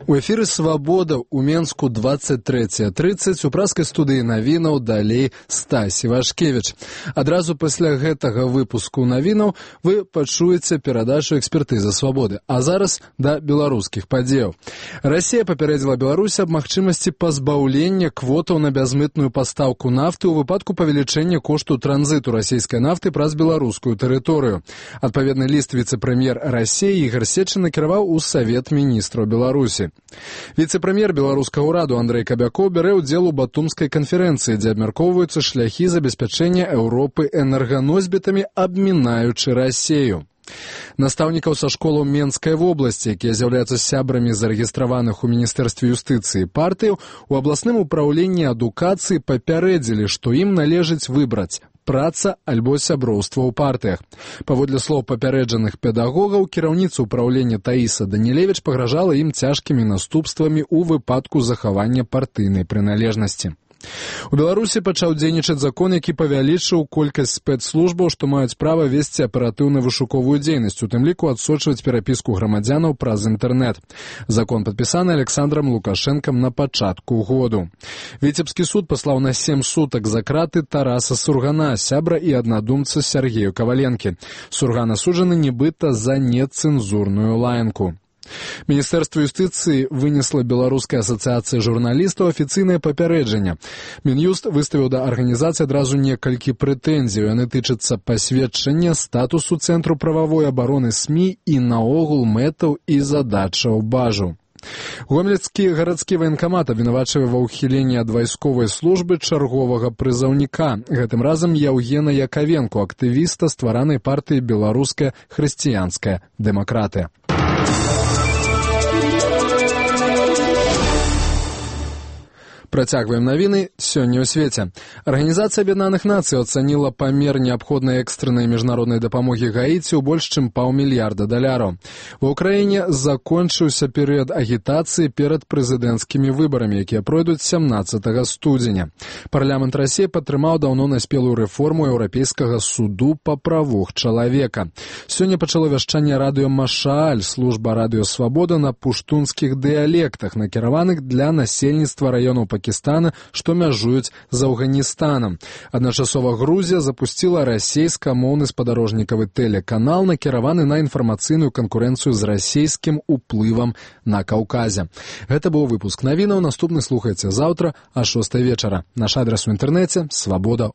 У эфіры «Свабода» у Менску 23:30 у праскай студыі навінаў далей Стась Івашкевіч. Адразу пасля гэтага выпуску навінаў вы пачуеце перадачу экспертызы «Свабоды». А зараз да беларускіх падзеяў. Расія папярэдзіла Беларусь аб магчымасці пазбаўлення квотаў на бязмытную пастаўку нафты ў выпадку павелічэння кошту транзіту расійскай нафты праз беларускую тэрыторыю. Адпаведны ліст віцэ-прэм'ер Расіі Ігор Сечын накіраваў у Савет міністраў Беларусі. Віцэ-прэм'ер беларускага ўраду Андрэй Кабякоў бярэ ўдзел у Батумскай канферэнцыі, дзе абмяркоўваюцца шляхі забеспячэння Еўропы энерганосьбітамі, абмінаючы Расею. Настаўнікаў са школаў Менскай вобласці, якія з'яўляюцца сябрамі зарэгістраваных у Міністэрстве юстыцыі партыяў, у абласным упраўленні адукацыі папярэдзілі, што ім належыць выбраць праца альбо сяброўства ў партыях. Паводле слоў папярэджаных педагогаў, кіраўніца ўпраўлення Таіса Данілевіч пагражала ім цяжкімі наступствамі ў выпадку захавання партыйнай прыналежнасці. У Беларусі пачаў дзейнічаць закон, які павялічыў колькасць спецслужбаў, што маюць права весці аператыўна-вышуковую дзейнасць, у тым ліку адсочваць перапіску грамадзянаў праз інтэрнэт. Закон падпісаны Александрам Лукашэнкам на пачатку году. Віцебскі суд паслаў на 7 сутак за краты Тараса Сургана, сябра і аднадумца Сергею Каваленкі. Сурган асуджаны нібыта за нецэнзурную лаянку. Міністэрства юстыцыі вынесла Беларускай асацыяцыі журналістаў афіцыйнае папярэджанне. Мін'юст выставіў да арганізацыі адразу некалькі прэтэнзій. Яны тычацца пасведчання статусу Цэнтру прававой абароны СМІ і наогул мэтаў і задачаў бажу. Гомельскі гарадскі ваенкамат абвінавачвае ва ўхіленні ад вайсковай службы чарговага прызаўніка. Гэтым разам Яўгена Якавенко, актывіста стваранай партыі «Беларуская хрысціянская дэмакратыя». Працягваем навіны сёння ў свеце. Арганізацыя Аб'яднаных Нацый ацаніла памер неабходнай экстраннай міжнароднай дапамогі Гаіці ў больш чым $500 мільярда. Ва ўкраіне закончыўся перыяд агітацыі перад прэзідэнцкімі выбарамі, якія пройдуць 17 студзеня. Парламент Расіі падтрымаў даўно наспелую рэформу Еўрапейскага суду па правах чалавека. Сёння пачало вяшчанне радыё Машааль, служба радыё «Свабода» на пуштунскіх дыялектах, накіраваных для насельніцтва раёнаў Пакістана, што мяжуюць з Афганістанам. Адначасова Грузія запусціла расейскамоўны спадарожнікавы тэлеканал, накіраваны на інфармацыйную канкурэнцыю з расійскім уплывам на Каўказе. Гэта быў выпуск навінаў. Наступны слухайце заўтра а 6 вечара. Наш адрес у інтэрнэце — Свабода.